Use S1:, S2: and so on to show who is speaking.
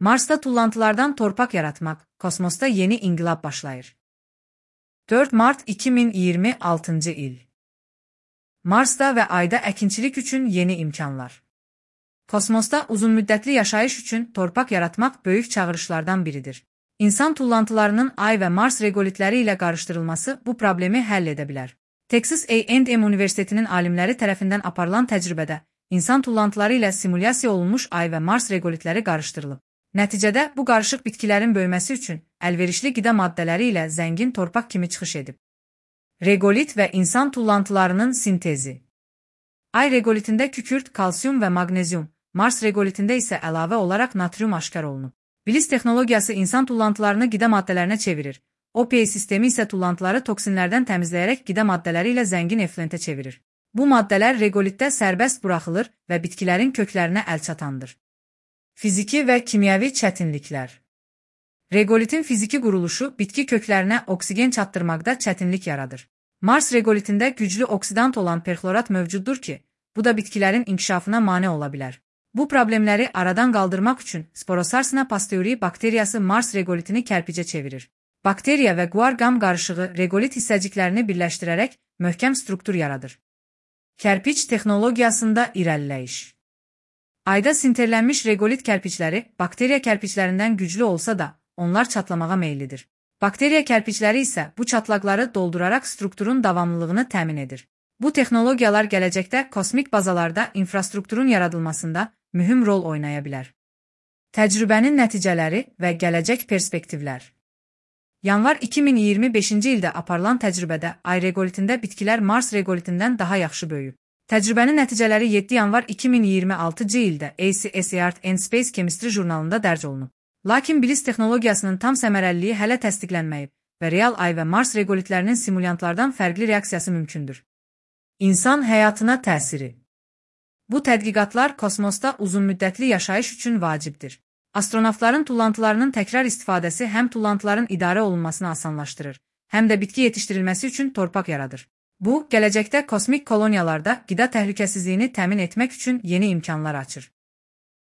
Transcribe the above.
S1: Marsda tullantılardan torpaq yaratmaq, kosmosda yeni inqilab başlayır. 4 Mart 2026 il. Marsda və Ayda əkinçilik üçün yeni imkanlar. Kosmosda uzunmüddətli yaşayış üçün torpaq yaratmaq böyük çağırışlardan biridir. İnsan tullantılarının Ay və Mars regolitləri ilə qarışdırılması bu problemi həll edə bilər. Texas A&M Universitetinin alimləri tərəfindən aparılan təcrübədə insan tullantıları ilə simulyasiya olunmuş Ay və Mars regolitləri qarışdırılıb. Nəticədə bu qarışıq bitkilərin böyüməsi üçün əlverişli qida maddələri ilə zəngin torpaq kimi çıxış edib. Regolit və insan tullantılarının sintezi. Ay regolitində kükürt, kalsium və maqnezium, Mars regolitində isə əlavə olaraq natrium aşkar olunub. Bilis texnologiyası insan tullantılarını qida maddələrinə çevirir. OPA sistemi isə tullantıları toksinlərdən təmizləyərək qida maddələri ilə zəngin effluentə çevirir. Bu maddələr regolitdə sərbəst buraxılır və bitkilərin köklərinə əlçatandır. Fiziki və kimyəvi çətinliklər. Regolitin fiziki quruluşu bitki köklərinə oksigen çatdırmaqda çətinlik yaradır. Mars regolitində güclü oksidant olan perxlorat mövcuddur ki, bu da bitkilərin inkişafına mane ola bilər. Bu problemləri aradan qaldırmaq üçün Sporosarsina pasteuri bakteriyası Mars regolitini kərpicə çevirir. Bakteriya və guar qam qarışığı regolit hissəciklərini birləşdirərək möhkəm struktur yaradır. Kərpic texnologiyasında irəliləyiş. Ayda sinterlənmiş regolit kərpicləri bakteriya kərpiclərindən güclü olsa da, onlar çatlamağa meyillidir. Bakteriya kərpicləri isə bu çatlaqları dolduraraq strukturun davamlılığını təmin edir. Bu texnologiyalar gələcəkdə kosmik bazalarda infrastrukturun yaradılmasında mühüm rol oynaya bilər. Təcrübənin nəticələri və gələcək perspektivlər. Yanvar 2025-ci ildə aparılan təcrübədə Ay regolitində bitkilər Mars regolitindən daha yaxşı böyüyüb. Təcrübənin nəticələri 7 yanvar 2026-cı ildə ACS Earth and Space Chemistry jurnalında dərc olunub. Lakin bilis texnologiyasının tam səmərəliliyi hələ təsdiqlənməyib və real Ay və Mars regolitlərinin simulyantlardan fərqli reaksiyası mümkündür. İnsan həyatına təsiri. Bu tədqiqatlar kosmosda uzunmüddətli yaşayış üçün vacibdir. Astronavtların tullantılarının təkrar istifadəsi həm tullantıların idarə olunmasını asanlaşdırır, həm də bitki yetişdirilməsi üçün torpaq yaradır. Bu, gələcəkdə kosmik koloniyalarda qida təhlükəsizliyini təmin etmək üçün yeni imkanlar açır.